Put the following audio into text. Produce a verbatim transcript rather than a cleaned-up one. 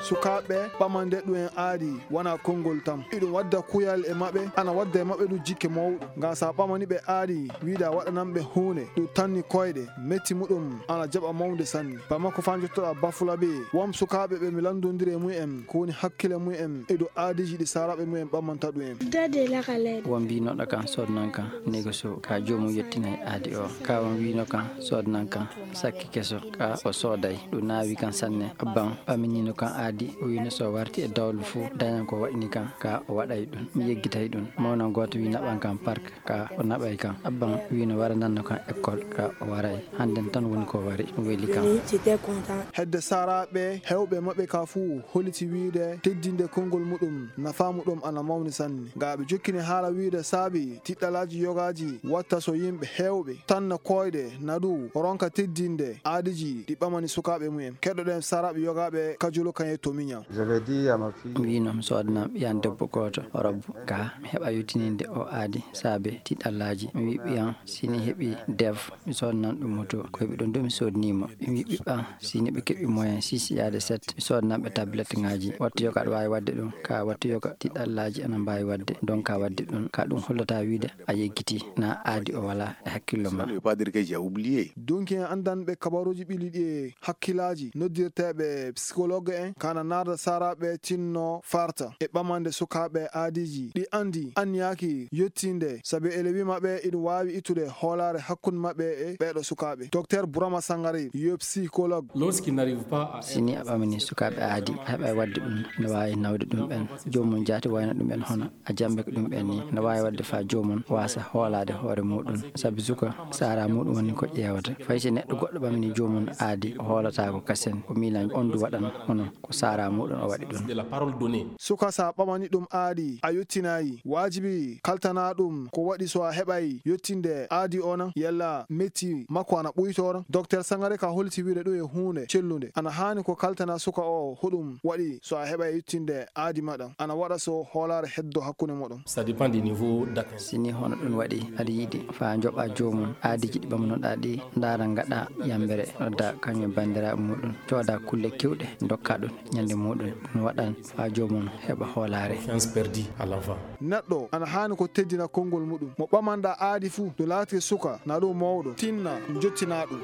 Sukaaɓe ɓamande ɗum en aadi wona konngol tan. Iɗum wadda kuyal e maɓɓe, ana wadda e maɓɓe ɗum jikke mawɗo. Ngam sa ɓamani ɓe aadi, wiida waɗanan ɓe huunde, ɗum tanni koyɗe, metti muɗum ana jaɓa mawnde sanne. Bamako faa njottoɗaa Bafulabe, won sukaaɓe ɓe mi lanndondiri e mum en, ko woni hakkile mum en e dow aadiiji ɗi saaraaɓe mum en ɓamanta ɗum en. Won mbiinooɗo kan soodnan kan négocio, ka joomum yettinay aadi o. Ka won wiino kan soodnan kan sakki keso, ka o sooday. Ɗum naawi kan sanne. Abban ɓaminino kan aadi, o wiino so warti e dawlu fuu, dañan ko waɗini kan, ka o waɗay ɗum. Mi yeggitay ɗum. Mawnan gooto wi naɓan kan park, ka o naɓay kan. Abban wiino wara nanno kan école, ka o waray. Hannden tan woni ko wari, ɗum weli kan. Hedde saaraaɓe heewɓe maɓɓe ka fuu holiti wiide teddinde konngol muɗum, nafaa muɗum ana mawni sanne. Ngam aɓe jokkini haala wiide saabi tiɗɗalaaji yogaaji watta so yimɓe heewɓe tanna koyɗe, na ɗum ronka teddinde aadiiji ɗi ɓamani sukaaɓe mum en. Keɗoɗen saaraaɓe yogaaɓe Kajulu kan e Tomiña. Mi wiino mi soodanan ɓiyan debbo gooto robbu, ka mi heɓa yottininde o aadi saabe tiɗɗalaaji. Mi wi ɓiyan si ni heɓi dev, mi soodanan ɗum moto. Ko heɓi ɗum du mi soodanii mo. Mi wi ɓiɓɓan si ni ɓe keɓi moyen six yaade sept, mi soodanan ɓe tablet ŋaaji. Wattu yoga aɗa waawi waɗde ɗum, ka wattu yoga tiɗɗalaaji ana mbaawi waɗde. Donc ka waɗde ɗum, ka ɗum hollata wiide a yeggitii, na aadi o walaa e hakkillo ma. Ça ne veut pas dire que j'ai oublié. Dunki en anndanɓe kabaruuji ɓili ɗi e hakkilaaji noddirteeɓe psychologue en, kana naarda saaraaɓe tinno farta e ɓamande sukaaɓe aadiiji ɗi anndi anniyaaki yottinde, sabi ele wi maɓɓe iɗum waawi ittude hoolaare hakkunde maɓɓe e ɓeeɗo sukaaɓe. Docteur Burama Sangare, yo psychologue. Lorsqu'il n'arrive pas à si ni a ɓamini sukaaɓe aadi, a heɓay waɗde ɗum, no waawi nawde ɗum ɓen. Joomum jaati wayno ɗum ɓen hono a jambe ko ɗum ɓen ni. No waawi waɗde faa joomum waasa hoolaade hoore muɗum. Sabi suka, saara muɗum woni ko ƴeewata. Fay si neɗɗo goɗɗo ɓamini joomum aadi, o hoolataako kasen. O miilan on du waɗan hono ko saara muɗum o waɗi ɗum. De la parole donnée. Suka sa ɓamani ɗum aadi, a yottinayi. Waajibi kaltana ɗum ko waɗi so a heɓay yottinde aadi o na. Yalla metti makko ana ɓuytoora. Docteur Sangare ka holti wiide ɗum e huunde cellunde. Ana haani ko kaltana suka o hoɗum waɗi so a heɓay yottinde aadi maɗa. Ana waɗa so hoolaare heddo hakkunde moɗon. Ça dépend du niveau d'atteinte. Si ni hono ɗum waɗi, aɗa yiɗi faa njoɓa joomum aadiiji ɗi ɓamnoɗaa ɗi, ndaara ngaɗa yambere, nodda kañum e banndiraaɓe muɗum, cooda kulle kewɗe, ndokka ɗum ñande muɗum. Ɗum waɗan faa joomum heɓa hoolaare. Confiance perdue à l'enfant. Neɗɗo ana haani ko teddina konngol muɗum. Mo ɓamanɗaa aadi fuu, no laati suka, na ɗum mawɗo, tinna njottinaa ɗum.